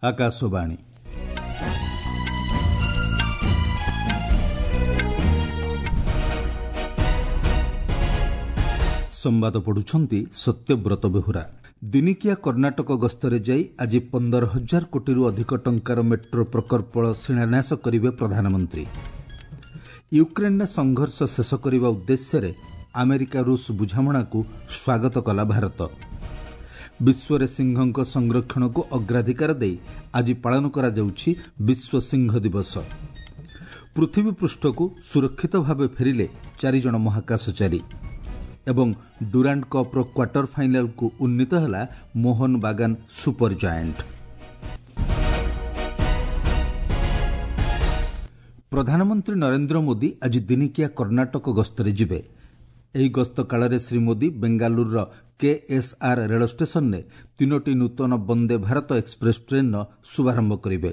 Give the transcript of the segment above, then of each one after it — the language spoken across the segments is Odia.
ଆକାଶବାଣୀ। ସମ୍ବାଦ ପଢୁଛନ୍ତି ସତ୍ୟବ୍ରତ ବେହୁରା। ଦିନିକିଆ କର୍ଣ୍ଣାଟକ ଗସ୍ତରେ ଯାଇ ଆଜି 15,000 କୋଟିରୁ ଅଧିକ ଟଙ୍କାର ମେଟ୍ରୋ ପ୍ରକଳ୍ପ ଶିଳାନ୍ୟାସ କରିବେ ପ୍ରଧାନମନ୍ତ୍ରୀ। ୟୁକ୍ରେନ୍ରେ ସଂଘର୍ଷ ଶେଷ କରିବା ଉଦ୍ଦେଶ୍ୟରେ ଆମେରିକା ରୁଷ ବୁଝାମଣାକୁ ସ୍ୱାଗତ କଲା ଭାରତ। ବିଶ୍ୱରେ ସିଂହଙ୍କ ସଂରକ୍ଷଣକୁ ଅଗ୍ରାଧିକାର ଦେଇ ଆଜି ପାଳନ କରାଯାଉଛି ବିଶ୍ୱ ସିଂହ ଦିବସ। ପୃଥିବୀ ପୃଷ୍ଠକୁ ସୁରକ୍ଷିତ ଭାବେ ଫେରିଲେ 4 ଜଣ ମହାକାଶଚାରୀ ଏବଂ ଡୁରାଣ୍ଡ କପ୍ର କ୍ୱାର୍ଟର ଫାଇନାଲକୁ ଉନ୍ନୀତ ହେଲା ମୋହନ ବାଗାନ ସୁପର ଜାଏଣ୍ଟ। ପ୍ରଧାନମନ୍ତ୍ରୀ ନରେନ୍ଦ୍ର ମୋଦି ଆଜି ଦିନିକିଆ କର୍ଣ୍ଣାଟକ ଗସ୍ତରେ ଯିବେ। ଏହି ଗସ୍ତ କାଳରେ ଶ୍ରୀ ମୋଦି ବେଙ୍ଗାଲୁରୁର କେଏସ୍ଆର୍ ରେଳ ଷ୍ଟେସନରେ ତିନୋଟି ନୂତନ ବନ୍ଦେ ଭାରତ ଏକ୍ସପ୍ରେସ୍ ଟ୍ରେନ୍ର ଶୁଭାରମ୍ଭ କରିବେ।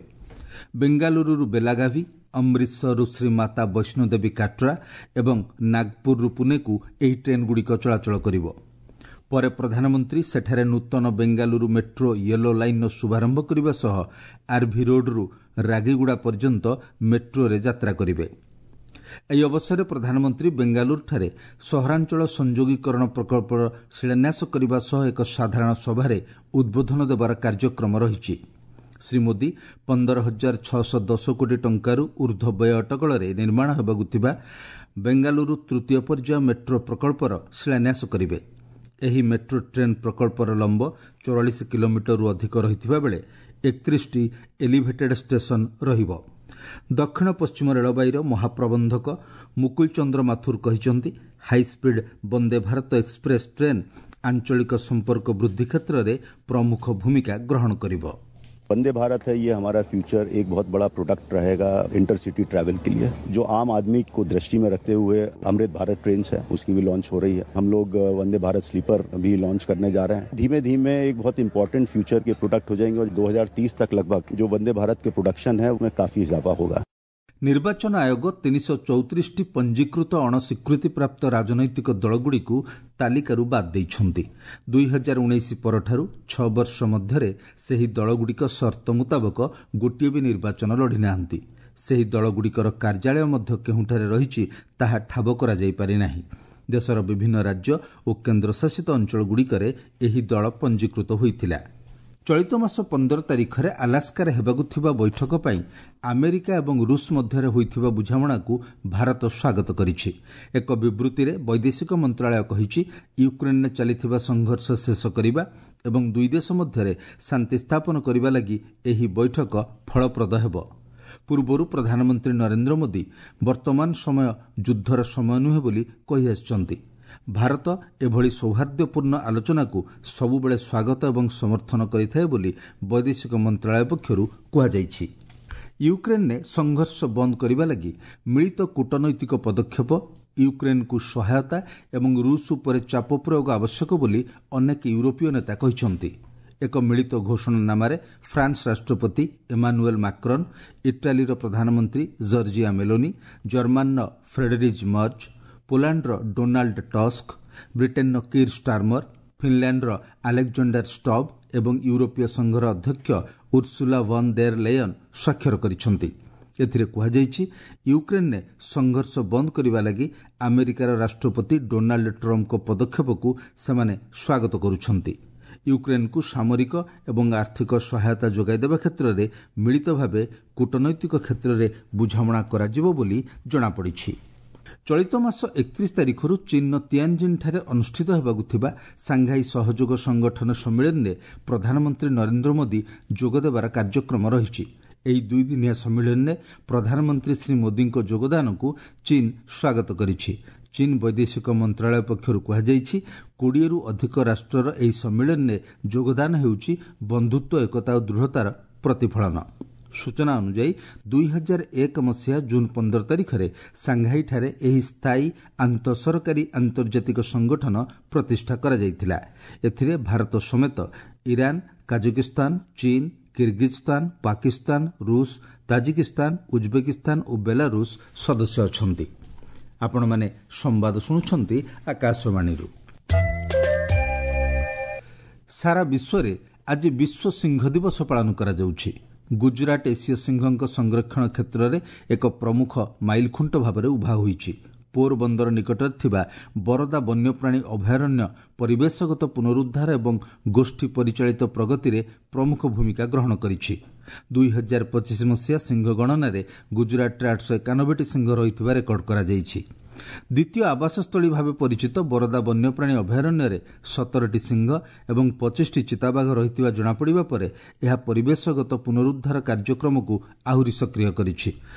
ବେଙ୍ଗାଲୁରୁରୁ ବେଲାଗାଭି, ଅମୃତସରରୁ ଶ୍ରୀମାତା ବୈଷ୍ଣୋଦେବୀ କାଟ୍ରା ଏବଂ ନାଗପୁରରୁ ପୁନେକୁ ଏହି ଟ୍ରେନ୍ଗୁଡ଼ିକ ଚଳାଚଳ କରିବ। ପରେ ପ୍ରଧାନମନ୍ତ୍ରୀ ସେଠାରେ ନୂତନ ବେଙ୍ଗାଲୁରୁ ମେଟ୍ରୋ ୟେଲୋ ଲାଇନ୍ର ଶୁଭାରମ୍ଭ କରିବା ସହ ଆର୍ଭି ରୋଡ୍ରୁ ରାଗିଗୁଡ଼ା ପର୍ଯ୍ୟନ୍ତ ମେଟ୍ରୋରେ ଯାତ୍ରା କରିବେ। ଏହି ଅବସରରେ ପ୍ରଧାନମନ୍ତ୍ରୀ ବେଙ୍ଗାଲୁରୁଠାରେ ସହରାଞ୍ଚଳ ସଂଯୋଗୀକରଣ ପ୍ରକଳ୍ପର ଶିଳାନ୍ୟାସ କରିବା ସହ ଏକ ସାଧାରଣ ସଭାରେ ଉଦ୍ବୋଧନ ଦେବାର କାର୍ଯ୍ୟକ୍ରମ ରହିଛି। ଶ୍ରୀ ମୋଦି 15,610 କୋଟି ଟଙ୍କାରୁ ଉର୍ଦ୍ଧ୍ୱ ବ୍ୟୟ ଅଟକଳରେ ନିର୍ମାଣ ହେବାକୁ ଥିବା ବେଙ୍ଗାଲୁରୁ ତୃତୀୟ ପର୍ଯ୍ୟାୟ ମେଟ୍ରୋ ପ୍ରକଳ୍ପର ଶିଳାନ୍ୟାସ କରିବେ। ଏହି ମେଟ୍ରୋ ଟ୍ରେନ୍ ପ୍ରକଳ୍ପର ଲମ୍ବ 44 କିଲୋମିଟରରୁ ଅଧିକ ରହିଥିବା ବେଳେ 31ଟି ଏଲିଭେଟେଡ୍ ଷ୍ଟେସନ ରହିବ। ଦକ୍ଷିଣ ପଶ୍ଚିମ ରେଳବାଇର ମହାପ୍ରବନ୍ଧକ ମୁକୁଲ ଚନ୍ଦ୍ର ମାଥୁର କହିଛନ୍ତି, high speed Vande Bharat express train ଆଞ୍ଚଳିକ ସମ୍ପର୍କ ବୃଦ୍ଧି କ୍ଷେତ୍ରରେ ପ୍ରମୁଖ ଭୂମିକା ଗ୍ରହଣ କରିବ। वंदे भारत है, ये हमारा फ्यूचर एक बहुत बड़ा प्रोडक्ट रहेगा इंटरसिटी ट्रैवल के लिए, जो आम आदमी को दृष्टि में रखते हुए अमृत भारत ट्रेन है, उसकी भी लॉन्च हो रही है। हम लोग वंदे भारत स्लीपर भी लॉन्च करने जा रहे हैं। धीमे धीमे एक बहुत इंपॉर्टेंट फ्यूचर के प्रोडक्ट हो जाएंगे और 2030 तक लगभग जो वंदे भारत के प्रोडक्शन है, उसमें काफी इजाफा होगा। ନିର୍ବାଚନ ଆୟୋଗ 334ଟି ପଞ୍ଜୀକୃତ ଅଣସ୍ୱୀକୃତିପ୍ରାପ୍ତ ରାଜନୈତିକ ଦଳଗୁଡ଼ିକୁ ତାଲିକାରୁ ବାଦ୍ ଦେଇଛନ୍ତି। 2019 ପରଠାରୁ 6 ବର୍ଷ ମଧ୍ୟରେ ସେହି ଦଳଗୁଡ଼ିକ ସର୍ତ୍ତ ମୁତାବକ ଗୋଟିଏ ବି ନିର୍ବାଚନ ଲଢ଼ିନାହାନ୍ତି। ସେହି ଦଳଗୁଡ଼ିକର କାର୍ଯ୍ୟାଳୟ ମଧ୍ୟ କେଉଁଠାରେ ରହିଛି, ତାହା ଠାବ କରାଯାଇପାରି ନାହିଁ। ଦେଶର ବିଭିନ୍ନ ରାଜ୍ୟ ଓ କେନ୍ଦ୍ରଶାସିତ ଅଞ୍ଚଳଗୁଡ଼ିକରେ ଏହି ଦଳ ପଞ୍ଜୀକୃତ ହୋଇଥିଲା। ଚଳିତ ମାସ 15 ତାରିଖରେ ଆଲାସ୍କାରେ ହେବାକୁ ଥିବା ବୈଠକ ପାଇଁ ଆମେରିକା ଏବଂ ରୁଷ ମଧ୍ୟରେ ହୋଇଥିବା ବୁଝାମଣାକୁ ଭାରତ ସ୍ୱାଗତ କରିଛି। ଏକ ବିବୃତ୍ତିରେ ବୈଦେଶିକ ମନ୍ତ୍ରଣାଳୟ କହିଛି, ୟୁକ୍ରେନ୍ରେ ଚାଲିଥିବା ସଂଘର୍ଷ ଶେଷ କରିବା ଏବଂ ଦୁଇ ଦେଶ ମଧ୍ୟରେ ଶାନ୍ତି ସ୍ଥାପନ କରିବା ଲାଗି ଏହି ବୈଠକ ଫଳପ୍ରଦ ହେବ। ପୂର୍ବରୁ ପ୍ରଧାନମନ୍ତ୍ରୀ ନରେନ୍ଦ୍ର ମୋଦି ବର୍ତ୍ତମାନ ସମୟ ଯୁଦ୍ଧର ସମୟ ନୁହେଁ ବୋଲି କହିଆସିଛନ୍ତି। ଭାରତ ଏଭଳି ସୌହାର୍ଦ୍ଦ୍ୟପୂର୍ଣ୍ଣ ଆଲୋଚନାକୁ ସବୁବେଳେ ସ୍ୱାଗତ ଏବଂ ସମର୍ଥନ କରିଥାଏ ବୋଲି ବୈଦେଶିକ ମନ୍ତ୍ରଣାଳୟ ପକ୍ଷରୁ କୁହାଯାଇଛି। ୟୁକ୍ରେନ୍ରେ ସଂଘର୍ଷ ବନ୍ଦ କରିବା ଲାଗି ମିଳିତ କୂଟନୈତିକ ପଦକ୍ଷେପ, ୟୁକ୍ରେନ୍କୁ ସହାୟତା ଏବଂ ରୁଷ ଉପରେ ଚାପ ପ୍ରୟୋଗ ଆବଶ୍ୟକ ବୋଲି ଅନେକ ୟୁରୋପୀୟ ନେତା କହିଛନ୍ତି। ଏକ ମିଳିତ ଘୋଷଣାନାମାରେ ଫ୍ରାନ୍ସ ରାଷ୍ଟ୍ରପତି ଏମାନୁଏଲ୍ ମାକ୍ରନ୍, ଇଟାଲୀର ପ୍ରଧାନମନ୍ତ୍ରୀ ଜର୍ଜିଆ ମେଲୋନି, ଜର୍ମାନର ଫ୍ରେଡେରିକ୍ ମର୍ଜ, ପୋଲାଣ୍ଡର ଡୋନାଲ୍ଡ ଟସ୍କ, ବ୍ରିଟେନ୍ର କିର୍ ଷ୍ଟାର୍ମର, ଫିନ୍ଲାଣ୍ଡର ଆଲେକ୍ଜାଣ୍ଡାର ଷ୍ଟବ୍ ଏବଂ ୟୁରୋପୀୟ ସଂଘର ଅଧ୍ୟକ୍ଷ ଉର୍ସୁଲା ଭନ୍ ଦେର୍ ଲେୟନ୍ ସ୍ୱାକ୍ଷର କରିଛନ୍ତି। ଏଥିରେ କୁହାଯାଇଛି, ୟୁକ୍ରେନ୍ରେ ସଂଘର୍ଷ ବନ୍ଦ କରିବା ଲାଗି ଆମେରିକାର ରାଷ୍ଟ୍ରପତି ଡୋନାଲ୍ଡ ଟ୍ରମ୍ପଙ୍କ ପଦକ୍ଷେପକୁ ସେମାନେ ସ୍ୱାଗତ କରୁଛନ୍ତି। ୟୁକ୍ରେନ୍କୁ ସାମରିକ ଏବଂ ଆର୍ଥିକ ସହାୟତା ଯୋଗାଇ ଦେବା କ୍ଷେତ୍ରରେ ମିଳିତ ଭାବେ କୂଟନୈତିକ କ୍ଷେତ୍ରରେ ବୁଝାମଣା କରାଯିବ ବୋଲି ଜଣାପଡ଼ିଛି। ଚଳିତ ମାସ 31 ତାରିଖରୁ ଚୀନ୍ର ତିଆନ୍ଜିନ୍ଠାରେ ଅନୁଷ୍ଠିତ ହେବାକୁ ଥିବା ସାଂଘାଇ ସହଯୋଗ ସଂଗଠନ ସମ୍ମିଳନୀରେ ପ୍ରଧାନମନ୍ତ୍ରୀ ନରେନ୍ଦ୍ର ମୋଦି ଯୋଗଦେବାର କାର୍ଯ୍ୟକ୍ରମ ରହିଛି। ଏହି ଦୁଇଦିନିଆ ସମ୍ମିଳନୀରେ ପ୍ରଧାନମନ୍ତ୍ରୀ ଶ୍ରୀ ମୋଦିଙ୍କ ଯୋଗଦାନକୁ ଚୀନ୍ ସ୍ୱାଗତ କରିଛି। ଚୀନ୍ ବୈଦେଶିକ ମନ୍ତ୍ରଣାଳୟ ପକ୍ଷରୁ କୁହାଯାଇଛି, 20ରୁ ଅଧିକ ରାଷ୍ଟ୍ରର ଏହି ସମ୍ମିଳନୀରେ ଯୋଗଦାନ ହେଉଛି ବନ୍ଧୁତ୍ୱ, ଏକତା ଓ ଦୃଢ଼ତାର ପ୍ରତିଫଳନ। ସୂଚନା ଅନୁଯାୟୀ, 2001 ମସିହା ଜୁନ୍ 15 ତାରିଖରେ ସାଂଘାଇଠାରେ ଏହି ସ୍ଥାୟୀ ଆନ୍ତଃସରକାରୀ ଆନ୍ତର୍ଜାତିକ ସଂଗଠନ ପ୍ରତିଷ୍ଠା କରାଯାଇଥିଲା। ଏଥିରେ ଭାରତ ସମେତ ଇରାନ, କାଜାକିସ୍ତାନ, ଚୀନ୍, କିର୍ଗିଜ୍ସ୍ତାନ, ପାକିସ୍ତାନ, ରୁଷ, ତାଜିକିସ୍ତାନ, ଉଜ୍ବେକିସ୍ତାନ ଓ ବେଲାରୁଷ ସଦସ୍ୟ ଅଛନ୍ତି। ଆପଣମାନେ ସମ୍ବାଦ ଶୁଣୁଛନ୍ତି ଆକାଶବାଣୀରୁ। ସାରା ବିଶ୍ୱରେ ଆଜି ବିଶ୍ୱ ସିଂହ ଦିବସ ପାଳନ କରାଯାଉଛି। ଗୁଜରାଟ ଏସୀୟ ସିଂହଙ୍କ ସଂରକ୍ଷଣ କ୍ଷେତ୍ରରେ ଏକ ପ୍ରମୁଖ ମାଇଲଖୁଣ୍ଟ ଭାବରେ ଉଭା ହୋଇଛି। ପୋରବନ୍ଦର ନିକଟରେ ଥିବା ବରଦା ବନ୍ୟପ୍ରାଣୀ ଅଭୟାରଣ୍ୟ ପରିବେଶଗତ ପୁନରୁଦ୍ଧାର ଏବଂ ଗୋଷ୍ଠୀ ପରିଚାଳିତ ପ୍ରଗତିରେ ପ୍ରମୁଖ ଭୂମିକା ଗ୍ରହଣ କରିଛି। 2025 ମସିହା ସିଂହ ଗଣନାରେ ଗୁଜରାଟରେ 891ଟି ସିଂହ ରହିଥିବା ରେକର୍ଡ କରାଯାଇଛି। ଦ୍ୱିତୀୟ ଆବାସସ୍ଥଳୀ ଭାବେ ପରିଚିତ ବରଦା ବନ୍ୟପ୍ରାଣୀ ଅଭୟାରଣ୍ୟରେ 17ଟି ସିଂହ ଏବଂ 25ଟି ଚିତାବାଘ ରହିଥିବା ଜଣାପଡ଼ିବା ପରେ ଏହା ପରିବେଶଗତ ପୁନରୁଦ୍ଧାର କାର୍ଯ୍ୟକ୍ରମକୁ ଆହୁରି ସକ୍ରିୟ କରିଛି।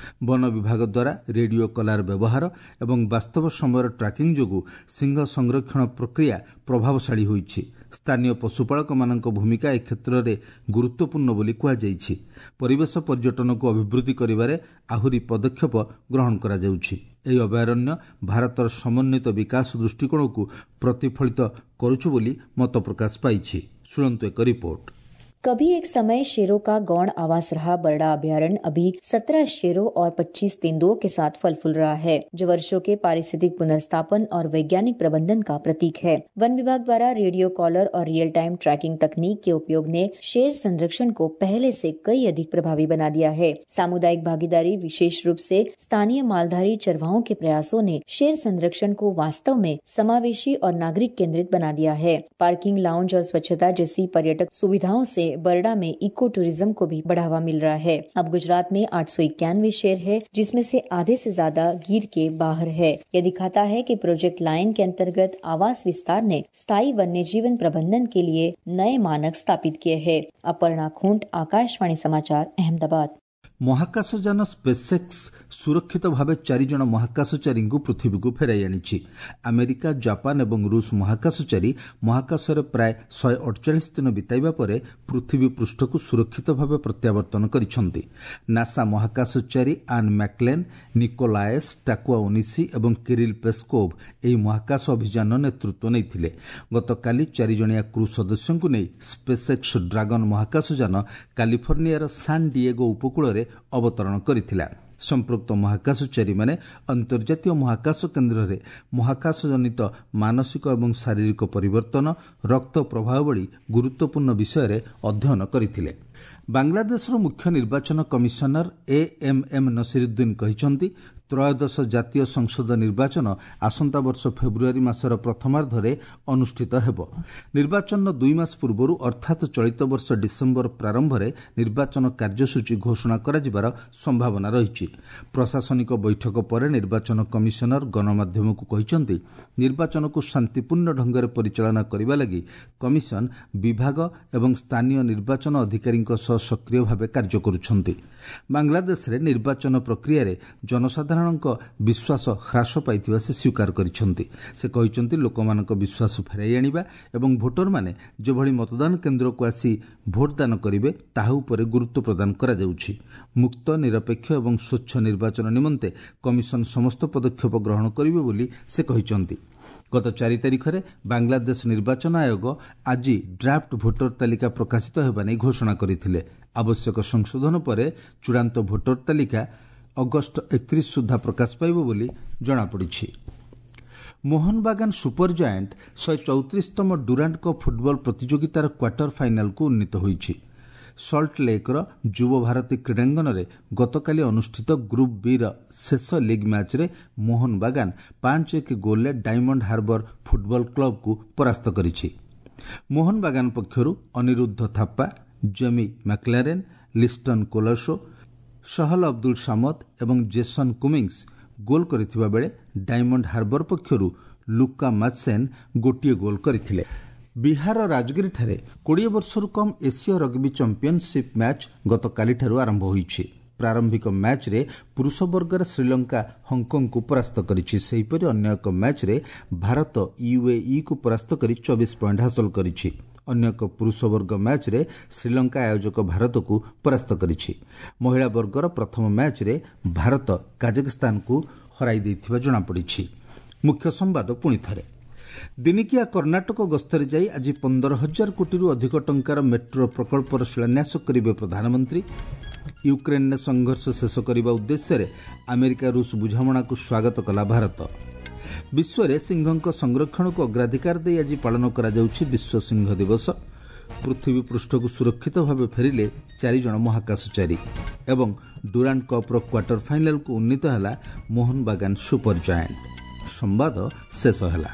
ବନ ବିଭାଗ ଦ୍ୱାରା ରେଡିଓ କଲାର ବ୍ୟବହାର ଏବଂ ବାସ୍ତବ ସମୟର ଟ୍ରାକିଂ ଯୋଗୁଁ ସିଂହ ସଂରକ୍ଷଣ ପ୍ରକ୍ରିୟା ପ୍ରଭାବଶାଳୀ ହୋଇଛି। ସ୍ଥାନୀୟ ପଶୁପାଳକମାନଙ୍କ ଭୂମିକା ଏ କ୍ଷେତ୍ରରେ ଗୁରୁତ୍ୱପୂର୍ଣ୍ଣ ବୋଲି କୁହାଯାଇଛି। ପରିବେଶ ପର୍ଯ୍ୟଟନକୁ ଅଭିବୃଦ୍ଧି କରିବାରେ ଆହୁରି ପଦକ୍ଷେପ ଗ୍ରହଣ କରାଯାଉଛି। ଏହି ଅଭୟାରଣ୍ୟ ଭାରତର ସମନ୍ୱିତ ବିକାଶ ଦୃଷ୍ଟିକୋଣକୁ ପ୍ରତିଫଳିତ କରୁଛି ବୋଲି ମତ ପ୍ରକାଶ ପାଇଛି। ଶୁଣନ୍ତୁ ଏକ ରିପୋର୍ଟ। कभी एक समय शेरों का गौण आवास रहा बरड़ा अभयारण्य अभी 17 शेरों और 25 तेंदुओं के साथ फल फूल रहा है, जो वर्षों के पारिस्थितिक पुनर्स्थापन और वैज्ञानिक प्रबंधन का प्रतीक है। वन विभाग द्वारा रेडियो कॉलर और रियल टाइम ट्रैकिंग तकनीक के उपयोग ने शेर संरक्षण को पहले से कई अधिक प्रभावी बना दिया है। सामुदायिक भागीदारी, विशेष रूप से स्थानीय मालधारी चरवाहों के प्रयासों ने शेर संरक्षण को वास्तव में समावेशी और नागरिक केंद्रित बना दिया है। पार्किंग, लाउंज और स्वच्छता जैसी पर्यटक सुविधाओं से बरड़ा में इको टूरिज्म को भी बढ़ावा मिल रहा है। अब गुजरात में 891 शेर है, जिसमें से आधे से ज्यादा गिर के बाहर है। यह दिखाता है कि प्रोजेक्ट लाइन के अंतर्गत आवास विस्तार ने स्थायी वन्य जीवन प्रबंधन के लिए नए मानक स्थापित किए हैं। अपर्णा खूंट, आकाशवाणी समाचार, अहमदाबाद। ମହାକାଶଯାନ ସ୍ପେସ୍ଏକ୍ସ ସୁରକ୍ଷିତ ଭାବେ ଚାରିଜଣ ମହାକାଶଚାରୀଙ୍କୁ ପୃଥିବୀକୁ ଫେରାଇ ଆଣିଛି। ଆମେରିକା, ଜାପାନ ଏବଂ ରୁଷ ମହାକାଶଚାରୀ ମହାକାଶରେ ପ୍ରାୟ 148 ଦିନ ବିତାଇବା ପରେ ପୃଥିବୀ ପୃଷ୍ଠକୁ ସୁରକ୍ଷିତ ଭାବେ ପ୍ରତ୍ୟାବର୍ତ୍ତନ କରିଛନ୍ତି। ନାସା ମହାକାଶଚାରୀ ଆନ୍ ମ୍ୟାକ୍ଲେନ୍, ନିକୋଲାଏସ୍ ଟାକୁଆ ଓନିସି ଏବଂ କିରିଲ୍ ପେସ୍କୋଭ୍ ଏହି ମହାକାଶ ଅଭିଯାନର ନେତୃତ୍ୱ ନେଇଥିଲେ। ଗତକାଲି ଚାରିଜଣିଆ କ୍ରୁ ସଦସ୍ୟଙ୍କୁ ନେଇ ସ୍ପେସ୍ଏକ୍ସ ଡ୍ରାଗନ୍ ମହାକାଶଯାନ କାଲିଫର୍ଣ୍ଣିଆର ସାନ୍ ଡିଏଗୋ ଉପକୂଳରେ ଅବତରଣ କରିଥିଲା। ସମ୍ପୃକ୍ତ ମହାକାଶଚାରୀମାନେ ଅନ୍ତର୍ଜାତୀୟ ମହାକାଶ କେନ୍ଦ୍ରରେ ମହାକାଶଜନିତ ମାନସିକ ଏବଂ ଶାରୀରିକ ପରିବର୍ତ୍ତନ, ରକ୍ତ ପ୍ରବାହ ଭଳି ଗୁରୁତ୍ୱପୂର୍ଣ୍ଣ ବିଷୟରେ ଅଧ୍ୟୟନ କରିଥିଲେ। ବାଂଲାଦେଶର ମୁଖ୍ୟ ନିର୍ବାଚନ କମିଶନର ଏ ଏମ୍ ଏମ୍ ନସିରୁଦ୍ଦିନ କହିଛନ୍ତି, ତ୍ରୟୋଦଶ ଜାତୀୟ ସଂସଦ ନିର୍ବାଚନ ଆସନ୍ତା ବର୍ଷ ଫେବୃଆରୀ ମାସର ପ୍ରଥମାର୍ଦ୍ଧରେ ଅନୁଷ୍ଠିତ ହେବ। ନିର୍ବାଚନର 2 ମାସ ପୂର୍ବରୁ ଅର୍ଥାତ୍ ଚଳିତ ବର୍ଷ ଡିସେମ୍ବର ପ୍ରାରମ୍ଭରେ ନିର୍ବାଚନ କାର୍ଯ୍ୟସୂଚୀ ଘୋଷଣା କରାଯିବାର ସମ୍ଭାବନା ରହିଛି। ପ୍ରଶାସନିକ ବୈଠକ ପରେ ନିର୍ବାଚନ କମିଶନର ଗଣମାଧ୍ୟମକୁ କହିଛନ୍ତି, ନିର୍ବାଚନକୁ ଶାନ୍ତିପୂର୍ଣ୍ଣ ଢଙ୍ଗରେ ପରିଚାଳନା କରିବା ଲାଗି କମିଶନ ବିଭାଗ ଏବଂ ସ୍ଥାନୀୟ ନିର୍ବାଚନ ଅଧିକାରୀଙ୍କ ସହ ସକ୍ରିୟ ଭାବେ କାର୍ଯ୍ୟ କରୁଛନ୍ତି। ବାଂଲାଦେଶରେ ନିର୍ବାଚନ ପ୍ରକ୍ରିୟାରେ ଜନସାଧାରଣଙ୍କ ବିଶ୍ୱାସ ହ୍ରାସ ପାଇଥିବା ସେ ସ୍ୱୀକାର କରିଛନ୍ତି। ସେ କହିଛନ୍ତି, ଲୋକମାନଙ୍କ ବିଶ୍ୱାସ ଫେରାଇ ଆଣିବା ଏବଂ ଭୋଟରମାନେ ଯେଭଳି ମତଦାନ କେନ୍ଦ୍ରକୁ ଆସି ଭୋଟଦାନ କରିବେ ତାହା ଉପରେ ଗୁରୁତ୍ୱ ପ୍ରଦାନ କରାଯାଉଛି। ମୁକ୍ତ, ନିରପେକ୍ଷ ଏବଂ ସ୍ୱଚ୍ଛ ନିର୍ବାଚନ ନିମନ୍ତେ କମିଶନ ସମସ୍ତ ପଦକ୍ଷେପ ଗ୍ରହଣ କରିବେ ବୋଲି ସେ କହିଛନ୍ତି। ଗତ 4 ତାରିଖରେ ବାଂଲାଦେଶ ନିର୍ବାଚନ ଆୟୋଗ ଆଜି ଡ୍ରାଫ୍ଟ ଭୋଟର ତାଲିକା ପ୍ରକାଶିତ ହେବା ନେଇ ଘୋଷଣା କରିଥିଲେ। ଆବଶ୍ୟକ ସଂଶୋଧନ ପରେ ଚୂଡ଼ାନ୍ତ ଭୋଟର ତାଲିକା ଅଗଷ୍ଟ 31 ସୁଦ୍ଧା ପ୍ରକାଶ ପାଇବ ବୋଲି ଜଣାପଡ଼ିଛି। ମୋହନବାଗାନ ସୁପର ଜାଏଣ୍ଟ 134ତମ ଡୁରାଣ୍ଡ କପ୍ ଫୁଟବଲ ପ୍ରତିଯୋଗିତାର କ୍ୱାର୍ଟର ଫାଇନାଲକୁ ଉନ୍ନୀତ ହୋଇଛି। ସଲ୍ଟ ଲେକ୍ର ଯୁବ ଭାରତୀ କ୍ରୀଡ଼ାଙ୍ଗନରେ ଗତକାଲି ଅନୁଷ୍ଠିତ ଗ୍ରୁପ୍ ବିର ଶେଷ ଲିଗ୍ ମ୍ୟାଚ୍ରେ ମୋହନବାଗାନ 5-1 ଗୋଲ୍ରେ ଡାଇମଣ୍ଡ ହାର୍ବର ଫୁଟବଲ କ୍ଲବକୁ ପରାସ୍ତ କରିଛି। ମୋହନବାଗାନ ପକ୍ଷରୁ ଅନିରୁଦ୍ଧ ଥାପ୍ପା, ଜେମି ମ୍ୟାକ୍ଲାରେନ୍, ଲିଷ୍ଟନ କୋଲାସୋ, ସହଲ ଅବଦୁଲ ସାମଦ ଏବଂ ଜେସନ୍ କୁମିଂସ୍ ଗୋଲ୍ କରିଥିବା ବେଳେ ଡାଇମଣ୍ଡ ହାର୍ବର ପକ୍ଷରୁ ଲୁକା ମାତ୍ସେନ୍ ଗୋଟିଏ ଗୋଲ୍ କରିଥିଲେ। ବିହାରର ରାଜଗିରିଠାରେ 20 ବର୍ଷରୁ କମ୍ ଏସୀୟ ରଗ୍ବି ଚାମ୍ପିୟନସିପ୍ ମ୍ୟାଚ୍ ଗତକାଲିଠାରୁ ଆରମ୍ଭ ହୋଇଛି। ପ୍ରାରମ୍ଭିକ ମ୍ୟାଚ୍ରେ ପୁରୁଷ ବର୍ଗରେ ଶ୍ରୀଲଙ୍କା ହଂକଂକୁ ପରାସ୍ତ କରିଛି। ସେହିପରି ଅନ୍ୟ ଏକ ମ୍ୟାଚ୍ରେ ଭାରତ ୟୁଏଇକୁ ପରାସ୍ତ କରି 24 ପଏଣ୍ଟ ହାସଲ କରିଛି। ଅନ୍ୟ ଏକ ପୁରୁଷ ବର୍ଗ ମ୍ୟାଚ୍ରେ ଶ୍ରୀଲଙ୍କା ଆୟୋଜକ ଭାରତକୁ ପରାସ୍ତ କରିଛି। ମହିଳା ବର୍ଗର ପ୍ରଥମ ମ୍ୟାଚ୍ରେ ଭାରତ କାଜାକସ୍ତାନକୁ ହରାଇ ଦେଇଥିବା ଜଣାପଡ଼ିଛି। ମୁଖ୍ୟ ସମ୍ବାଦ ପୁଣି ଥରେ। ଦିନିକିଆ କର୍ଣ୍ଣାଟକ ଗସ୍ତରେ ଯାଇ ଆଜି 15,000 କୋଟିରୁ ଅଧିକ ଟଙ୍କାର ମେଟ୍ରୋ ପ୍ରକଳ୍ପର ଶିଳାନ୍ୟାସ କରିବେ ପ୍ରଧାନମନ୍ତ୍ରୀ। ୟୁକ୍ରେନ୍ରେ ସଂଘର୍ଷ ଶେଷ କରିବା ଉଦ୍ଦେଶ୍ୟରେ ଆମେରିକା ରୁଷ ବୁଝାମଣାକୁ ସ୍ୱାଗତ କଲା ଭାରତ। ବିଶ୍ୱରେ ସିଂହଙ୍କ ସଂରକ୍ଷଣକୁ ଅଗ୍ରାଧିକାର ଦେଇ ଆଜି ପାଳନ କରାଯାଉଛି ବିଶ୍ୱ ସିଂହ ଦିବସ। ପୃଥିବୀ ପୃଷ୍ଠକୁ ସୁରକ୍ଷିତ ଭାବେ ଫେରିଲେ 4 ଜଣ ମହାକାଶଚାରୀ। ଏବଂ ଡୁରାଣ୍ଡ କପ୍ର କ୍ୱାର୍ଟର ଫାଇନାଲକୁ ଉନ୍ନୀତ ହେଲା ମୋହନବାଗାନ ସୁପର ଜାଏଣ୍ଟ। ସମ୍ବାଦ ଶେଷ ହେଲା।